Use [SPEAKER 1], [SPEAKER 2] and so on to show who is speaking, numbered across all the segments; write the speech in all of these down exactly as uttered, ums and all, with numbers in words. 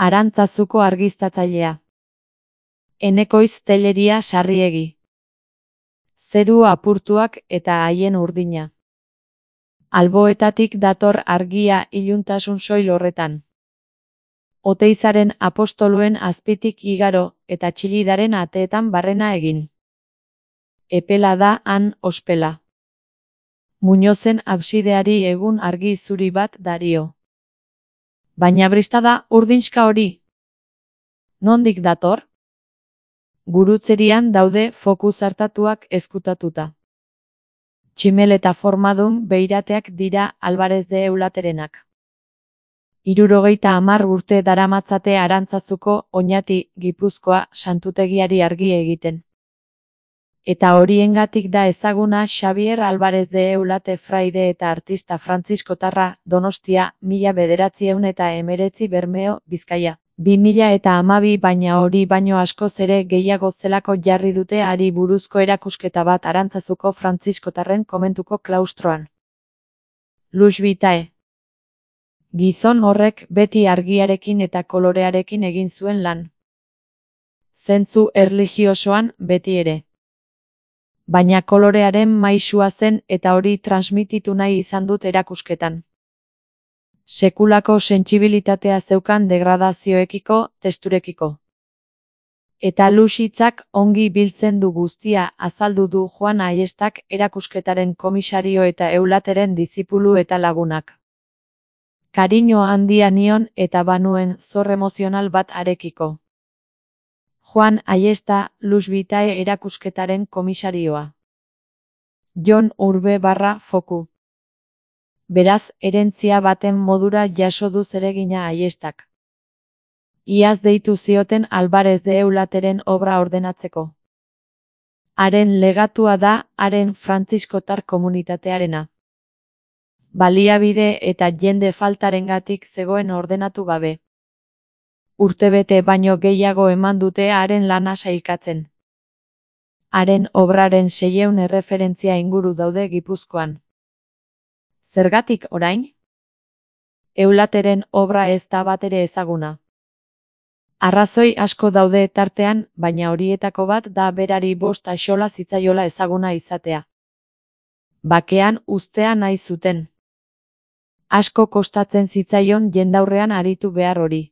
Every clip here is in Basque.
[SPEAKER 1] Arantzazuko argiztatzailea. Enekoiz Telleria Sarriegi. Zeru apurtuak eta haien urdina. Alboetatik dator argia iluntasun soil horretan. Oteizaren apostoluen azpitik igaro eta txilidaren ateetan barrena egin. Epela da han ospela. Muñozen absideari egun argi zuri bat dario. Baina brista da urdinxka hori. Nondik dator? Gurutzerian daude foku zartatuak ezkutatuta. Tximeleta formadun beirateak dira Alvarez de Eulaterenak. Hirurogeita hamar urte daramatzate Arantzazuko Oñati, Gipuzkoa santutegiari argi egiten. Eta horiengatik da ezaguna Xabier Alvarez de Eulate fraide eta artista frantziskotarra, Donostia, mila bederatziehun eta hemeretzi Bermeo, Bizkaia. Bi mila eta hamabi baina hori baino askoz ere gehiago zelako jarri dute hari buruzko erakusketa bat Arantzazuko frantziskotarren komentuko klaustroan. Lux vitae. Gizon horrek beti argiarekin eta kolorearekin egin zuen lan. Zentzu erlijiosoan beti ere. Baina kolorearen maisua zen eta hori transmititu nahi izan dut erakusketan. Sekulako sentsibilitatea zeukan degradazioekiko, testurekiko. Eta Luxitzak ongi biltzen du guztia azaldu du Juan Aiestak erakusketaren komisario eta Eulateren dizipulu eta lagunak. Kariño handia nion eta banuen zor emozional bat arekiko. Juan Aiesta, Lux vitae erakusketaren komisarioa. Jon Urbe barra foku. Beraz, herentzia baten modura jaso du zeregina Aiestak. Iaz deitu zioten Alvarez de Eulateren obra ordenatzeko. Haren legatua da haren frantziskotar komunitatearena. Baliabide eta jende faltarengatik zegoen ordenatu gabe. Urtebete baino gehiago eman dute haren lana sailkatzen. Haren obraren seiehun erreferentzia inguru daude Gipuzkoan. Zergatik orain? Eulateren obra ez da batere ezaguna. Arrazoi asko daude tartean, baina horietako bat da berari bost axola zitzaiola ezaguna izatea. Bakean uztea nahi zuten. Asko kostatzen zitzaion jendaurrean aritu behar hori.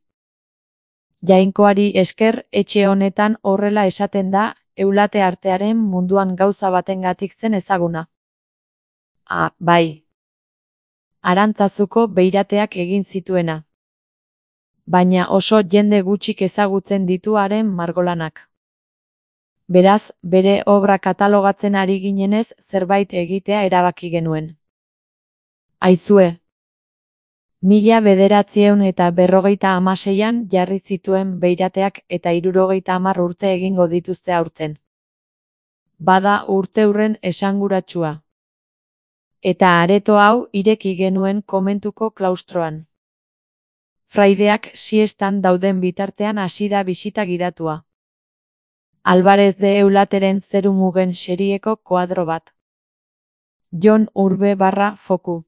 [SPEAKER 1] Jainkoari esker etxe honetan horrela esaten da, Eulate artearen munduan gauza batengatik zen ezaguna. Ah, bai. Arantzazuko beirateak egin zituena. Baina oso jende gutxik ezagutzen ditu haren margolanak. Beraz, bere obra katalogatzen ari ginenez zerbait egitea erabaki genuen. Aizue. Mila bederatziehun eta berrogeita hamaseian jarri zituen beirateak eta hirurogeita hamar urte egingo dituzte aurten. Bada urteurren esanguratsua. Eta areto hau ireki genuen komentuko klaustroan. Fraideak siestan dauden bitartean hasi da bisita gidatua. Alvarez de Eulateren zerumugen serieko koadro bat. Jon Urbe barra foku.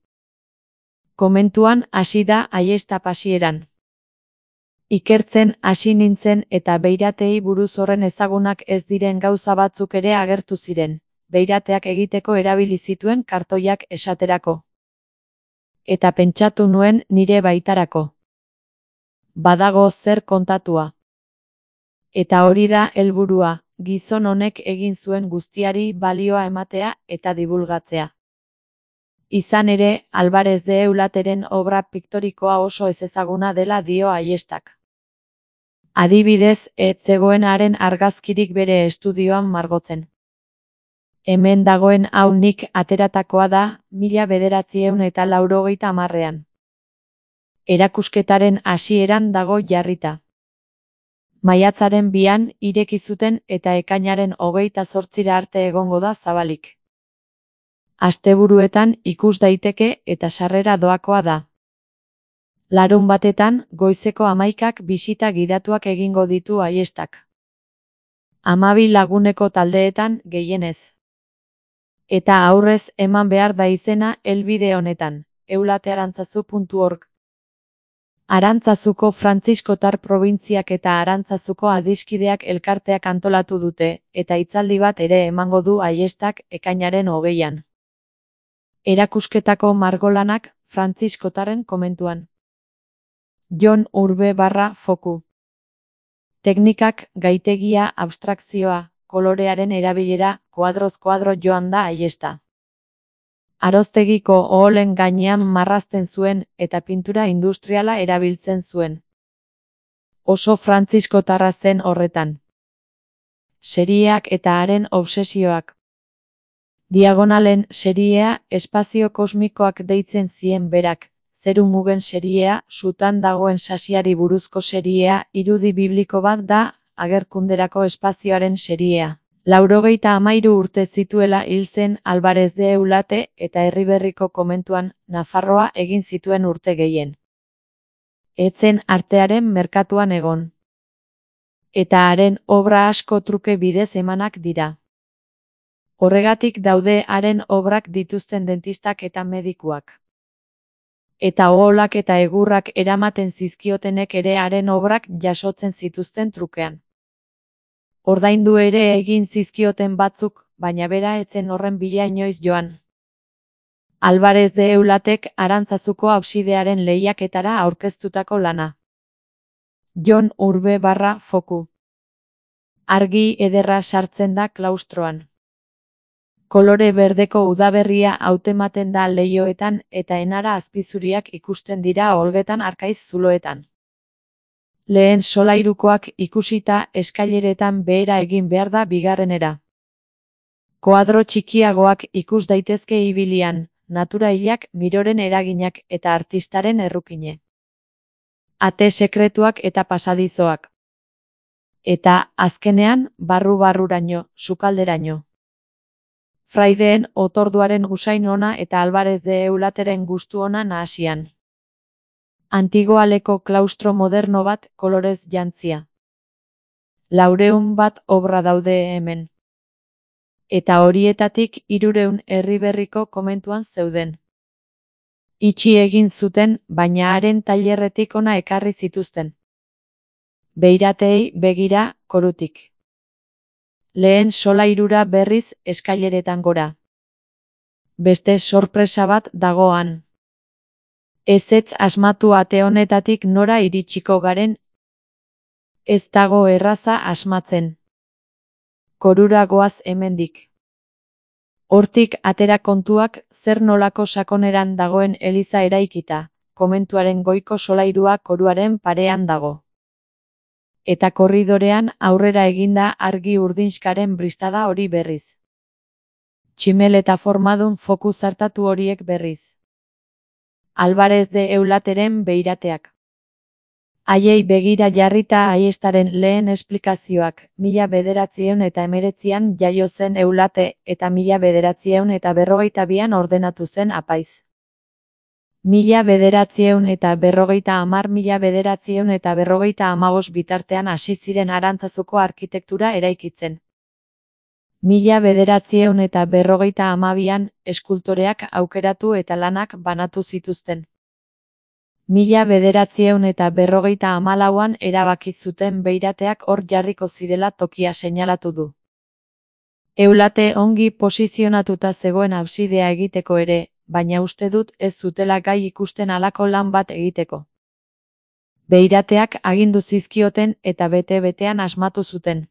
[SPEAKER 1] Komentuan hasi da Aiesta pasieran. Ikertzen hasi nintzen eta beiratei buruz horren ezagunak ez diren gauza batzuk ere agertu ziren, beirateak egiteko erabili zituen kartoiak esaterako. Eta pentsatu nuen nire baitarako. Badago zer kontatua. Eta hori da helburua, gizon honek egin zuen guztiari balioa ematea eta dibulgatzea. Izan ere, Alvarez de Eulateren obra piktorikoa oso ezezaguna dela dio Aiestak. Adibidez, ez zegoen haren argazkirik bere estudioan margotzen. Hemen dagoen hau nik ateratakoa da, mila bederatziehun eta laurogeita hamarrean. Erakusketaren hasieran dago jarrita. Maiatzaren bian ireki zuten eta ekainaren hogeita zortzira arte egongo da zabalik. Asteburuetan ikus daiteke eta sarrera doakoa da. Larun batetan, goizeko hamaikak bisita gidatuak egingo ditu Aiestak. Hamabi laguneko taldeetan gehienez. Eta aurrez eman behar da izena helbide honetan, eulatearantzazu puntu org. Arantzazuko Frantziskotar probintziak eta Arantzazuko adiskideak elkarteak antolatu dute, eta hitzaldi bat ere emango du Aiestak ekainaren hogeian. Erakusketako margolanak Frantziskotarren komentuan. Jon Urbe barra foku. Teknikak, gaitegia, abstrakzioa, kolorearen erabilera, koadroz koadro joan da Aiesta. Aroztegiko oholen gainean marrazten zuen eta pintura industriala erabiltzen zuen. Oso frantziskotarra zen horretan. Serieak eta haren obsesioak. Diagonalen seriea espazio kosmikoak deitzen zien berak, zeru mugen seriea, sutan dagoen sasiari buruzko seriea, irudi bibliko bat da, agerkunderako espazioaren seriea. Laurogeita hamairu urte zituela hil zen Alvarez de Eulate eta Erriberriko komentuan Nafarroa egin zituen urte gehien. Etzen artearen merkatuan egon. Eta haren obra asko truke bidez emanak dira. Horregatik daude haren obrak dituzten dentistak eta medikuak. Eta oholak eta egurrak eramaten zizkiotenek ere haren obrak jasotzen zituzten trukean. Ordaindu ere egin zizkioten batzuk, baina bera etzen horren bila inoiz joan. Alvarez de Eulatek Arantzazuko absidearen lehiaketara aurkeztutako lana. Jon Urbe barra foku. Argi ederra sartzen da klaustroan. Kolore berdeko udaberria hautematen da leihoetan eta enara azpizuriak ikusten dira olgetan arkaiz zuloetan. Lehen solairukoak ikusita eskaileretan behera egin behar da bigarrenera. Koadro txikiagoak ikus daitezke ibilian, naturailak, miroren eraginak eta artistaren errukine. Ate sekretuak eta pasadizoak. Eta, azkenean, barru-barruraino, sukalderaino. Fraideen otorduaren usain ona eta Alvarez de Eulateren gustu ona nahasian. Antigoaleko klaustro moderno bat kolorez jantzia. Laureun bat obra daude hemen. Eta horietatik hirureun Erriberriko komentuan zeuden. Itxi egin zuten, baina haren tailerretik ona ekarri zituzten. Beiratei begira, korutik. Lehen solairura berriz eskaileretan gora. Beste sorpresa bat dagoan. Ezetz asmatu ate honetatik nora iritsiko garen. Ez dago erraza asmatzen. Korura goaz hemendik. Hortik atera kontuak zer nolako sakoneran dagoen eliza eraikita, komentuaren goiko solairua koruaren parean dago. Eta korridorean aurrera eginda argi urdinskaren bristada hori berriz. Tximel eta formadun foku zartatu horiek berriz. Alvarez de Eulateren beirateak. Haiei begira jarrita Aiestaren lehen esplikazioak, mila bederatziehun eta hemeretzian jaio zen Eulate eta mila bederatziehun eta berrogeita bian ordenatu zen apaiz. Mila bederatziehun eta berrogeita hamar mila bederatziehun eta berrogeita hamabost bitartean hasi ziren Arantzazuko arkitektura eraikitzen. Mila bederatziehun eta berrogeita hamabian eskultoreak aukeratu eta lanak banatu zituzten. Mila bederatziehun eta berrogeita hamalauan erabaki zuten beirateak hor jarriko zirela tokia seinalatu du. Eulate ongi posizionatuta zegoen absidea egiteko ere, baina uste dut ez zutela gai ikusten halako lan bat egiteko. Beirateak agindu zizkioten eta bete-betean asmatu zuten.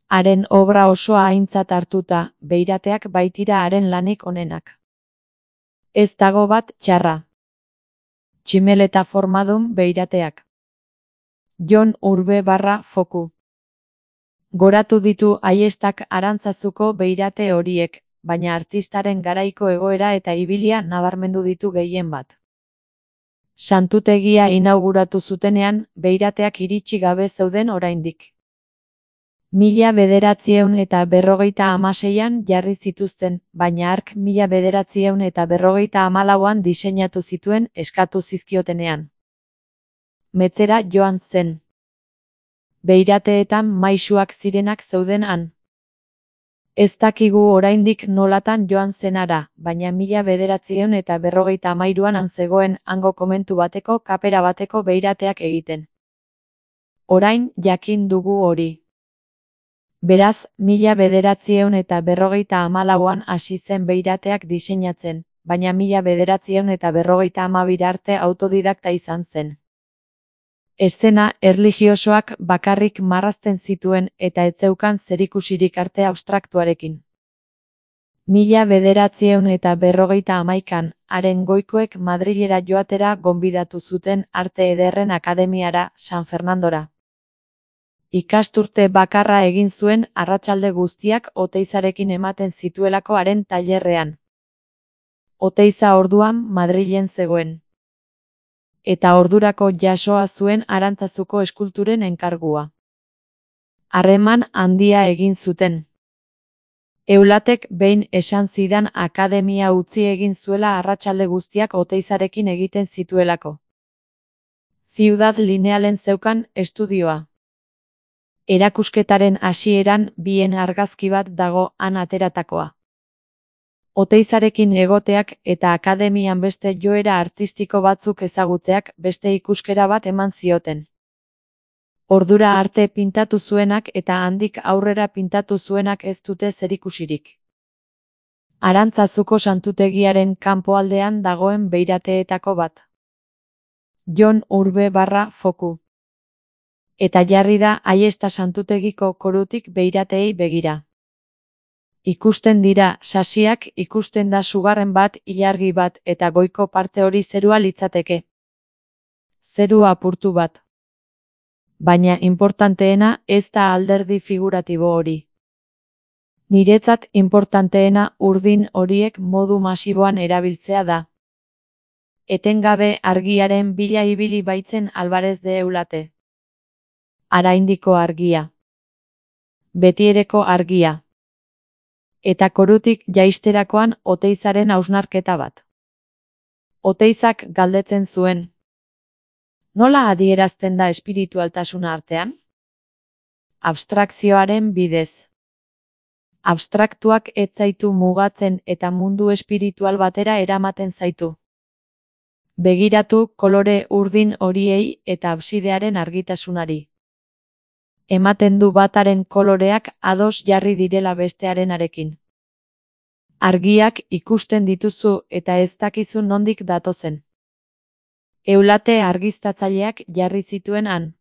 [SPEAKER 1] Haren obra osoa aintzat hartuta, beirateak baitira haren lanik onenak. Ez dago bat txarra. Tximel eta formadun beirateak. Jon Urbe barra foku. Goratu ditu Aiestak Arantzazuko beirate horiek, baina artistaren garaiko egoera eta ibilia nabarmendu ditu gehien bat. Santutegia inauguratu zutenean, beirateak iritsi gabe zeuden oraindik. Mila bederatziehun eta berrogeita hamaseian jarri zituzten, baina hark mila bederatziehun eta berrogeita hamalauan diseinatu zituen eskatu zizkiotenean. Metzera joan zen. Beirateetan maisuak zirenak zeuden han. Ez dakigu oraindik nolatan joan zenara, baina mila bederatziehun eta berrogeita hamairuan han zegoen hango komentu bateko kapera bateko beirateak egiten. Orain jakin dugu hori. Beraz, mila bederatziehun eta berrogeita hamalauan hasi zen beirateak diseinatzen, baina mila bederatziehun eta berrogeita hamabira arte autodidakta izan zen. Eszena erlijiosoak bakarrik marrazten zituen eta ez zeukan zerikusirik arte abstraktuarekin. Mila bederatziehun eta berrogeita hamaikan, haren goikoek Madrilera joatera gonbidatu zuten Arte Ederren Akademiara, San Fernandora. Ikasturte bakarra egin zuen arratsalde guztiak Oteizarekin ematen zituelako haren tailerrean. Oteiza orduan Madrilen zegoen. Eta ordurako jasoa zuen Arantzazuko eskulturen enkargua. Harreman handia egin zuten. Eulatek behin esan zidan akademia utzi egin zuela arratsalde guztiak Oteizarekin egiten zituelako. Ciudad Linealen zeukan estudioa. Erakusketaren hasieran bien argazki bat dago han ateratakoa. Oteizarekin egoteak eta akademian beste joera artistiko batzuk ezagutzeak beste ikuskera bat eman zioten. Ordura arte pintatu zuenak eta handik aurrera pintatu zuenak ez dute zerikusirik. Arantzazuko santutegiaren kanpoaldean dagoen beirateetako bat. Jon Urbe barra Foku. Eta jarri da Aiesta santutegiko korutik beirateei begira. Ikusten dira sasiak, ikusten da sugarren bat, ilargi bat eta goiko parte hori zerua litzateke. Zeru apurtu bat. Baina inportanteena ez da alderdi figuratibo hori. Niretzat inportanteena urdin horiek modu masiboan erabiltzea da. Etengabe argiaren bila ibili baitzen Alvarez de Eulate. Araindiko argia. Betiereko argia. Eta korutik jaisterakoan Oteizaren hausnarketa bat. Oteizak galdetzen zuen. Nola adierazten da espiritualtasuna artean? Abstrakzioaren bidez. Abstraktuak ez zaitu mugatzen eta mundu espiritual batera eramaten zaitu. Begiratu kolore urdin horiei eta absidearen argitasunari. Ematen du bataren koloreak ados jarri direla bestearenarekin. Argiak ikusten dituzu eta ez dakizu nondik datozen. Eulate argiztatzaileak jarri zituen han.